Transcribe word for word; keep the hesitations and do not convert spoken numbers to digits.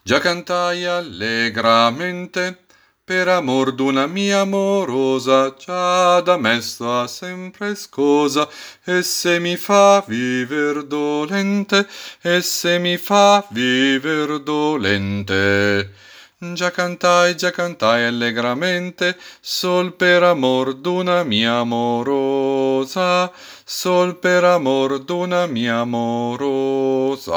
Già cantai allegramente per amor d'una mia amorosa, già da me sta sempre scosa, e se mi fa viver dolente, e se mi fa viver dolente. Già cantai, già cantai allegramente, sol per amor d'una mia amorosa, sol per amor d'una mia amorosa.